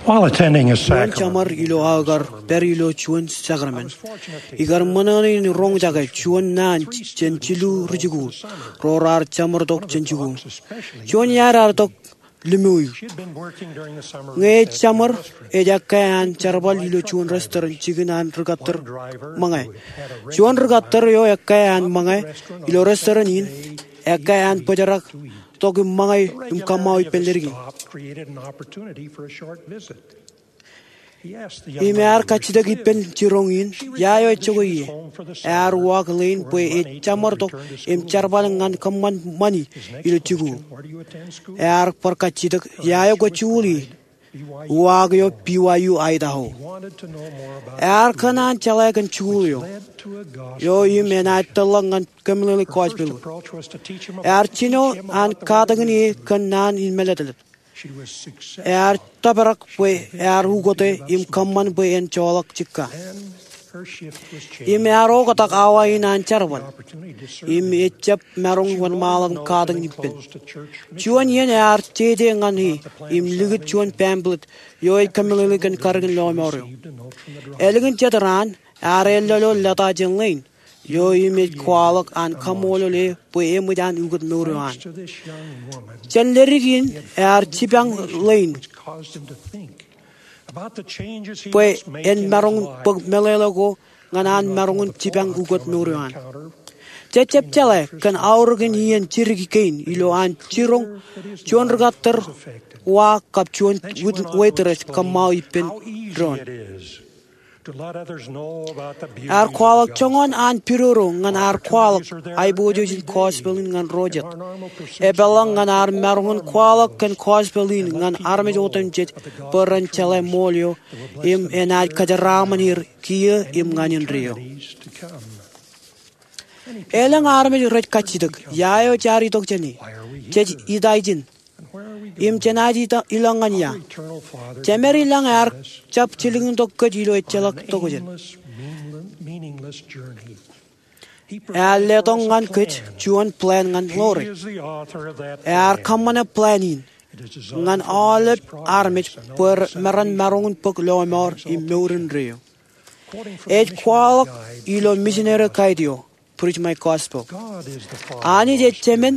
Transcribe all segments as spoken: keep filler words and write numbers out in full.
While attending a sacrament, juon jeṃar ilo aō kar pād ilo juon sakrament, ikar ṃōṇōṇō in roñjake juon naan jān jilu rijikuuḷ ro raar jeṃartok jān jikuuḷ. Juon iaad ear itok Lemuel. Ñe ej jeṃar, ej ekkā an jerbal ilo juon restaurant jikin an rūkattar ṃōñā. Juon rūkattar eo ekkā an ṃōñā ilo restaurant in, ekkā an bōjrak tok im ṃōñā im kaṃṃao ippān leddik in. Im ear kajjitōk ippān jiroñ in, ia eo ejjokwe ie. Ear uwaak ḷein bwe ej jeṃartok im jerbal ñan kōṃṃan ṃani ilo jikuuḷ. Ear bar kajjitōk ia eo kwōj jikuuḷ ie. Uwaak eo B Y U Idaho. Ear kōṇaan jeḷā kōn jikuuḷ eo, eo im enaaj tōl ḷọk ñan kōmeḷeḷe gospel. Ear jino an katakin e kōn naan in mālōtlōt. Ear tōprak bwe ear ukōte im kōṃṃan bwe en joḷọk jikka. Im ear oktak awa in an jerbal. Im ej jab maroñ wōnṃaanḷọk im katakin ippān. Juon iien ear jeje ñan e im likūt juon pamphlet eo ej kōmeḷeḷe kōn karōkin lọmọọr eo. Ālikin jet raan, ear ellọlo lōta jān ḷein eo im ej kwaḷọk an kaṃṃoolol e bwe eṃōj an ukōt mour eo an. Jān leddik in ear jipañ ḷein bwe en maroñ bōk meḷeḷe ko ñan an maroñ in jipañ ukōt mour eo an. Jej jab jeḷā kōn aorōkin iien jidik kein ilo an jiroñ juon rūkattar wa kab juon waitress kōṃṃao ippān doon. Ear kwaḷọk joñan an pidodo ñan ear kwaḷọk aiboojoj in gospel in ñan ro jet. Epeḷḷọk ñan ear maroñ in kwaḷọk kōn gospel in ñan armej otemjej bwe ren jeḷā ṃool eo im enaaj kajeraaṃṃan er kiiō im ñan indeeo. Elōñ armej rej kajjitōk ia eo jaar itok jān e, jej ita ijin, im jenaaj ilọk ñan ia. Jemed ilañ ear jab jilkintok kōj ilo ejjeḷọk tokjān. Ear letok ñan kōj juon plan ñan ḷoore. Ear kōṃṃane plan in ñan aolep armej bwe meram maroñ in bōk lọmọọr im mour indeeo. Ej kwaḷọk ilo missionary guide eo, Preach My Gospel, Anij ej Jemān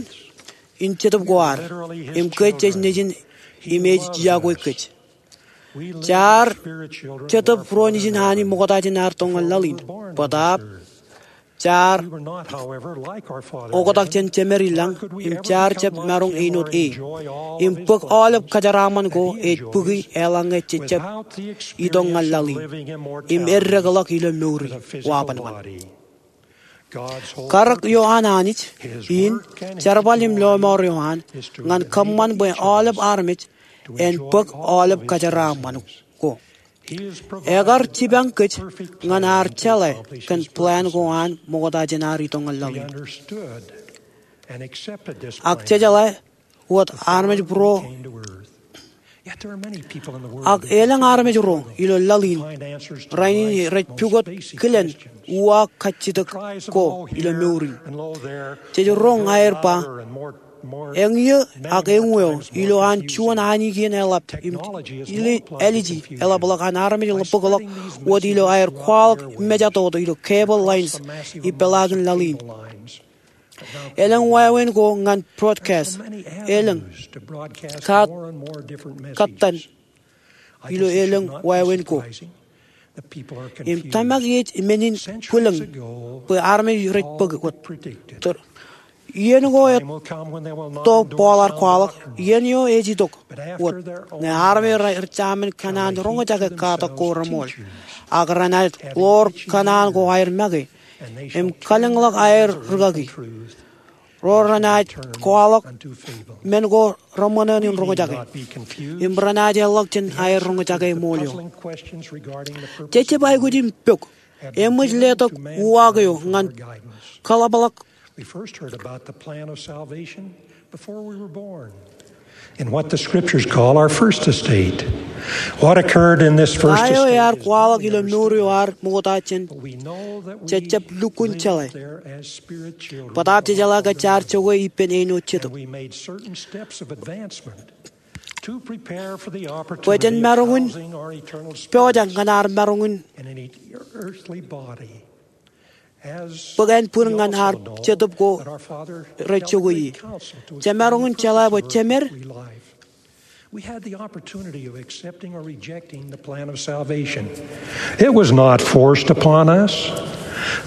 in Jetōb ko ad, im kōj jej nejin im ej yokwe kōj. Jaar Jetōb ro nejin Anij ṃokta jān ad itok ñan laḷ in. Bōtaab jaar oktak jān jemed ilañ, im jaar jab maroñ āinwōt e, im bōk aolep kajeraaṃṃan ko ej bōki eḷaññe jej jab itok ñan laḷ in im eddekḷọk ilo mour in wabanban. Karōk eo an Anij in, jerbal im lọmọọr eo an, ñan kōṃṃan bwe aolep armej en bōk aolep kajeraaṃṃan ko. Ekar jipañ kōj ñan ad jeḷā kōn plan ko an ṃokta jān ad itok ñan laḷ in. Ak jejeḷā wōt armej būruō, ak elōñ armej ro ilo laḷ in rainin rej pukot kilen uwaak kajjitōk ko ilo mour in. Jej roñ aer ba, eñeo ak eñeo ilo an juon anij in eḷap im āliji eḷapḷọk an armej bōkḷọk wōt ilo aer kwaḷọk mejatoto ilo cable lines ipeḷaakin laḷ in. Elōñ wāween ko ñan broadcast. Elōñ katak ilo elōñ wāween ko. Im tōmak ej men in bwilōñ bwe armej rej bōk wōt. Iien ko etto Paul ear kwaḷọk, iien eo ej itok wōt ñe armej rej jaṃin kōṇaan roñjake katak ko reṃool, ak renaaj ḷoor kōṇaan ko aer make im kalōñḷọk aer rikaki. Ro renaaj kwaḷọk men ko reṃōṇōṇō in roñjake im renaaj eḷḷọk jān aer roñjake ṃool eo. Jej jab aikuj im pok, eṃōj letok uwaak eo ñan kaḷapḷọk? In what the scriptures call our first estate. What occurred in this first estate? Ta eo ear kwaḷọk ilo mour eo ad ṃokta jān jej jab lukkuun jeḷā? Bōtaab jejeḷā ke jaar jokwe ippān āinwōt Jetōb. bwe jen maroñ in pojak ñan ad maroñ in bōk ānbwin ñan ad Jetōb ko rej jokwe ie. Jemaroñ in jeḷā bwe Jemed We had the opportunity of accepting or rejecting the plan of salvation. It was not forced upon us.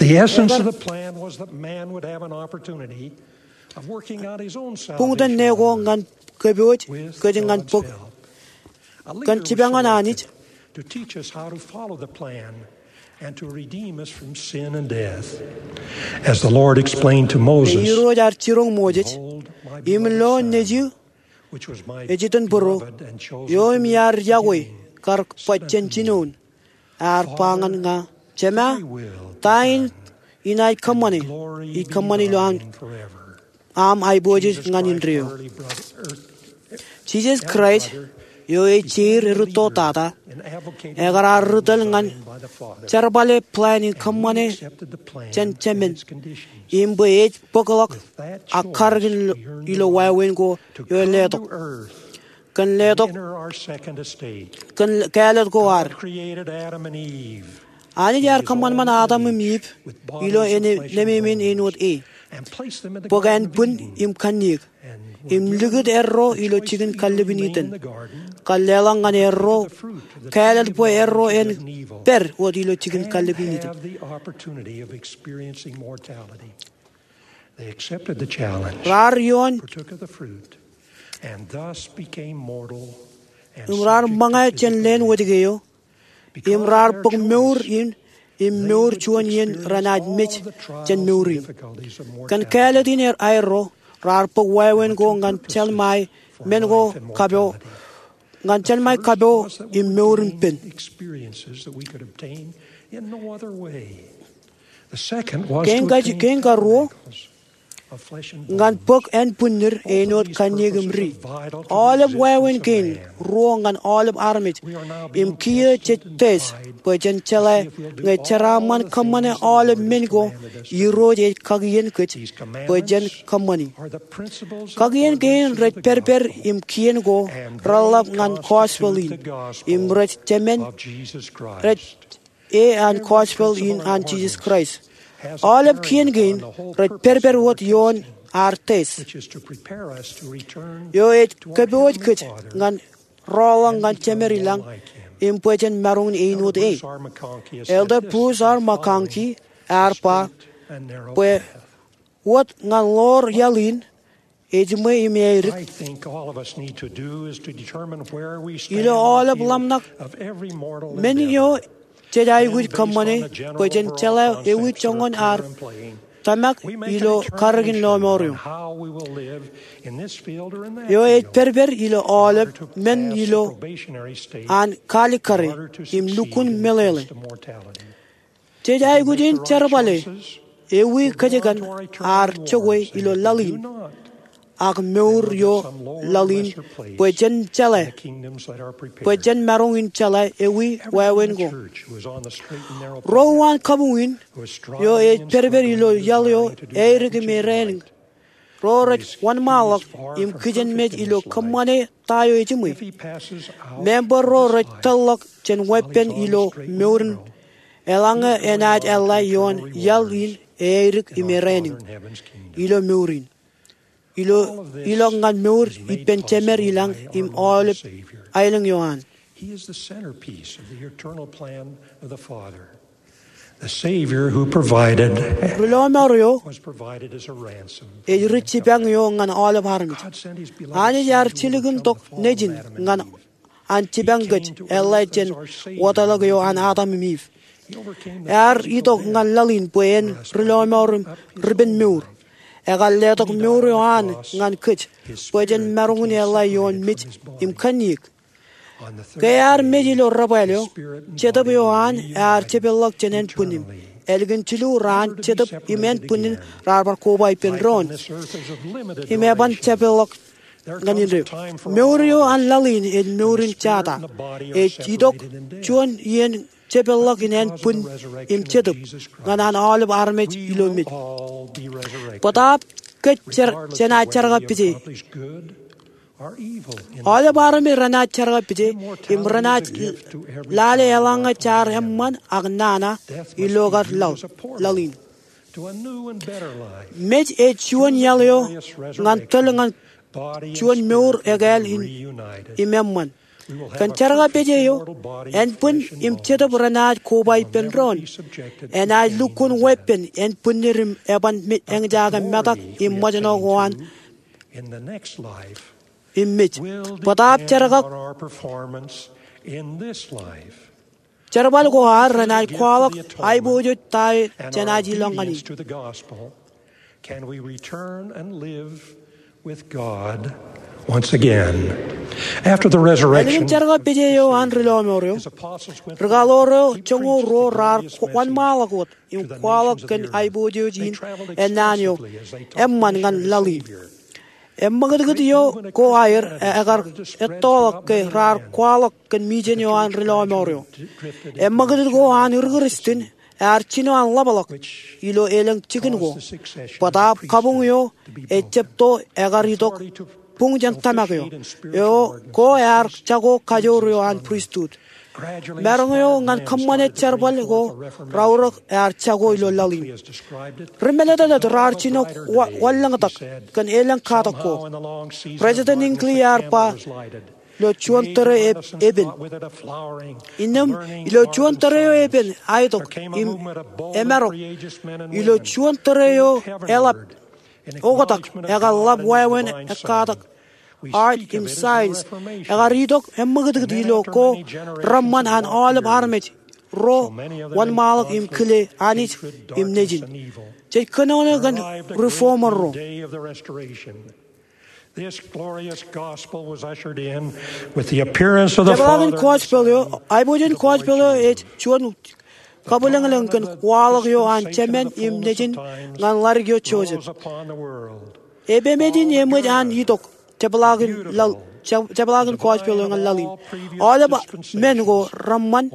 The essence of the plan was that man would have an opportunity of working out his own salvation on earth with God's help. Buñtōn ne ko ñan kōpooj kōj ñan bōk kōn jipañ an Anij. A leader was selected to teach us how to follow the plan and to redeem us from sin and death. As the Lord explained to Moses, Irooj ear jiroñ Moses, "Im lo nejū ej itok būruō, eo im iar yokwe kar baj jān jinoin, ear ba ñan ña, Jema, ta in inaaj kōṃṃane? Ij kōṃṃan ilo aṃ aiboojoj ñan indeeo." Jisōs Kraist, eo ej jeir erūtto tata, ekar ar ri tōl ñan jerbale plan in kōṃṃane jān Jemed, im bwe ej bōkḷọk ak karōkin ilo wāween ko eo ej letok, kōn letok, kōn kāālōt ko ad. Anij ear kōṃanṃan Adam im Iv ilo nemāmein āinwōt e, bōk ānbwin im kanniōk, im likūt erro ilo jikin kallibin Iden, kar leḷọk ñan erro kāālōt bwe erro en pād wōt ilo jikin kallibin Iden. Raar ioon im raar ṃōñā jān leen wōjke eo, im raar bōk mour in, im mour juon iien renaaj mej jān mour in. Kōn kāālōt in aerro, raar bōk wāween ko ñan jelṃae men ko kapo, ñan jelṃae kapo im mour in pen. Kein karuo, ñan bōk ānbwinnid āinwōt kanniōk im ri. Aolep wāween kein ruo ñan aolep armej, im kiiō jej test bwe jen jeḷā ñe jeraaṃṃan kōṃṃane aolep men ko Irooj ej kakien kōj bwe jen kōṃṃani. Kakien kein rej pedped im kien ko reḷḷap ñan gospel in, im rej jemān, rej e an gospel in an Jisōs Kraist. Aolep kien kein rej pedped wōt ioon ad test, eo ej kōpooj kōj ñan rọọlḷọk ñan Jemed ilañ, im bwe jen maroñ in āinwōt e. Elder Bruce R. McConkie ear ba bwe wōt ñan ḷoor iaḷ in, ejiṃwe im eadik. Ilo aolep ḷōmṇak men eo jej aikuj kōṃṃane bwe jen jeḷā ewi joñan ad tōmak ilo karōkin lọmọọr eo, eo ej pedped ilo aolep men ilo an kaalikkare im lukkuun meḷeḷe. Jej aikuj in jerbale ewi kōjkan ad jokwe ilo laḷ in, ak mour eo laḷ in, bwe jen jeḷā, bwe jen maroñ in jeḷā ewi wāween ko. Ro uwaan kabuñ in, eo ej pedped ilo iaḷ eo eadik im erāinwōt, ro rej wōnṃaanḷọk im kijenmej ilo kōṃṃane ta eo ejiṃwe. Member ro rej tōlḷọk jān weeppān ilo mour in eḷaññe enaaj eḷḷā ioon iaḷ in eadik im erāinwōt ilo mour in, ilo ilọk ñan mour ippān Jemed ilañ im aolep aelōñ eo an. He is the centerpiece of the eternal plan of the Father. The Savior who provided Ri lọmọọr eo was provided as a ransom. Ej ri jipañ eo ñan aolep armej. God sent his beloved Anij ear Son to jilkintok account for nejin Adam and ñan Eve. An jipañ kōj, eḷḷā jān wōtlọk eo an Adam im Iv. Ear itok ñan laḷ in bwe en ri lọmọọr im ripenmour. Ekar letok mour eo an ñan kōj bwe jen maroñ in eḷḷā ioon mej im kanniōk. Ke ear mej ilo debwāāl eo, Jetōb eo an ear jepeḷḷọk jān ānbwinnin. Ālikin jilu raan Jetōb im ānbwinnin raar bar koba ippān doon im eban jepeḷḷọk ñan indeeo. Mour eo an laḷ in ej mour in jata. Ej itok juon iien jepeḷḷọk in ānbwin im Jetōb ñan an aolep armej ilo mej. Bōtaab kōj jenaaj jerkakpeje Aolep armej renaaj jerkakpeje im renaaj lale eḷaññe jaar eṃṃan ak nana ilo kar laḷ, laḷ in. Mej ej juon iaḷ eo ñan tōl ñan juon mour ekāāl in im eṃṃan. Kōn jerkakpeje eo, ānbwin im jetōb renaaj koba ippān doon. Enaaj lukkuun weeppān ānbwinnid im eban eñjake metak im ṃōjṇọ ko an im mej. Bōtaab jerkak jerbal ko ad renaaj kwaḷọk aiboojoj ta eo jenaaj ilọk ñan e. Can we return and live with God once again? After the resurrection, ālikin jerkakpeje eo an ri lọmọọr eo, rikaḷoor eo joñoul ruo raar wōnṃaanḷọk wōt im kwaḷọk kōn aiboojoj in ennaan eo eṃṃan ñan laḷ in. Eṃṃakūtkūt eo ko aer ekar ettoḷọk ke raar kwaḷọk kōn mijen eo an ri lọmọọr eo. Eṃṃakūtkūt ko an ri Kūrjin ear jino an ḷapḷọk ilo elōñ jikin ko. Bōtaab kabuñ eo ejjab to ekar itok buñ jān tōmak eo, eo ko ear jako kajoor eo an pristut. Maroñ eo ñan kōṃṃane jerbal ko raorōk ear jako ilo laḷ in. Ri mālōtlōt raar jino wanlōñtak kōn elōñ katak ko. President Hinckley ear ba ilo juon tōre epen. Innām ilo juon tōre eo epen aitok im emarok. Ilo juon tōre eo eḷap oktak ekar ḷap wāween ekkatak art im science ekar itok eṃṃakūtkūt ilo ko reṃṃan an aolep armej ro wōnṃaanḷọk im kile Anij im nejin. Jej kōnono kōn reformer ro. This glorious gospel was ushered in with the appearance of the Father and Son. Jepḷaak in gospel eo, aiboojoj in gospel eo ej juon kabwilōñlōñ kōn waḷọk eo an Jemān im Nejin ñan ḷadik eo Joseph. Epemeej in eṃōj an itok jepḷaak in laḷ, jepḷaak in gospel eo ñan laḷ in. Aolep men ko reṃṃan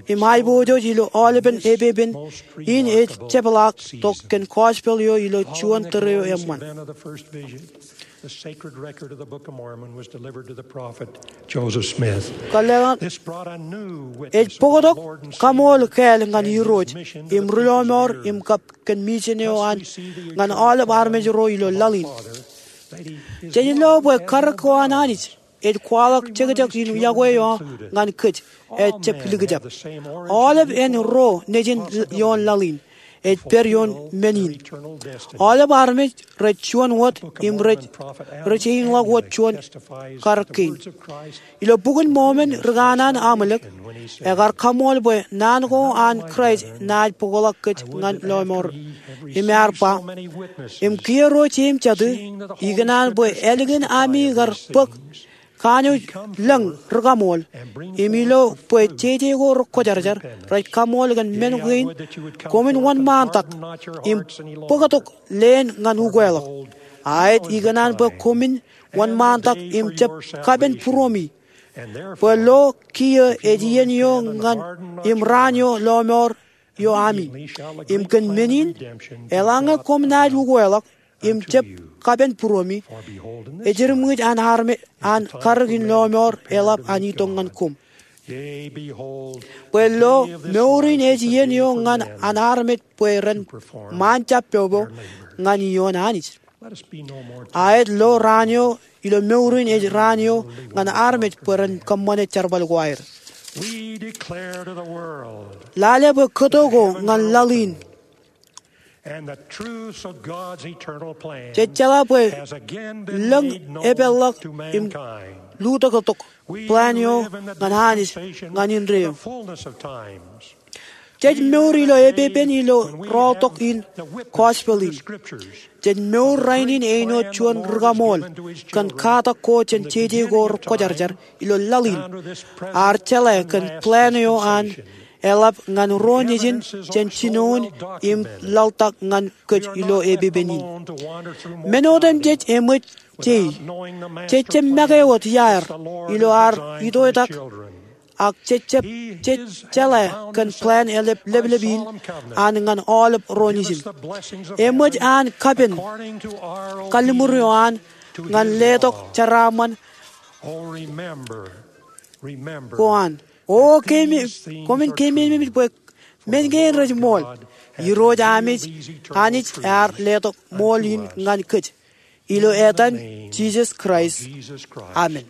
im aiboojoj ilo aolepen epepen in ej jepḷaak tok kōn gospel eo ilo juon tōre eo eṃṃan. The sacred record of the Book of Mormon was delivered to the prophet Joseph Smith. Kōḷḷeeṇ, ej bōktok kaṃool kāāl ñan Irooj im ri lọmọọr im kab kōn mijen eo an ñan aolep armej ro ilo laḷ in. Jej lo bwe karōk ko an Anij ej kwaḷọk jekjek in yokwe eo ñan kōj ejjab likjab. Aolep en ro nejin ioon laḷ in ej pād ioon men in. Aolep armej rej juon wōt im rej, rej einḷọk wōt juon karōk kein. Ilo Bok in Mormon ri kanaan Amalek ekar kaṃool bwe naan ko an Kraist enaaj bōkḷọk kōj ñan lọmọọr im ear ba, im kiiō ro jeiū im jatū, ikōṇaan bwe ālikin ami kar bōk kanooj lōñ ri kaṃool im ilo bwe jeje ko rekwōjarjar rej kaṃool kōn men kein, koṃwin wōnṃaantak im bōktok leen ñan ukeḷọk. Aet, ikōṇaan bwe koṃwin wōnṃaantak im jab kapen būruemi. Bwe lo kiiō ej iien eo ñan im raan eo lọmọọr eo ami. Im kōn men in, eḷaññe koṃ naaj ukeḷọk im jab kapen būruemi, ejirmwij an armej an karōk in lọmọọr eḷap an itok ñan koṃ. Bwe lo mour in ej iien eo ñan an armej bwe ren ṃaan jab popo ñan ioon Anij. Aet, lo raan eo ilo mour in ej raan eo ñan armej bwe ren kōṃṃane jerbal ko aer. Lale bwe kōto ko ñan laḷ in. Jej jeḷā bwe lōñ epeḷḷọk im lutōktok plan eo ñan Anij ñan indeeo. Jej mour ilo epepen ilo rọọltok in gospel in. Jej mour rainin āinwōt juon ri kaṃool kōn katak ko jān jeje ko rekwōjarjar ilo laḷ in. Ear jeḷā kōn plan eo an eḷap ñan ro nejin jān jinoin im laḷtak ñan kōj ilo epepen in. Men otemjej eṃōj jei. Jej jab make wōt iaer ilo ad itoitak ak jej jab, jej jeḷā kōn plan eḷap leplep in an ñan aolep ro nejin. Eṃōj an kapen kalliṃur eo an ñan letok jeraaṃṃan Ko an, O koṃwin keememej bwe men kein rej ṃool. Irooj Anij ear letok ṃool in ñan kōj. Ilo etan Jisōs Kraist, amen.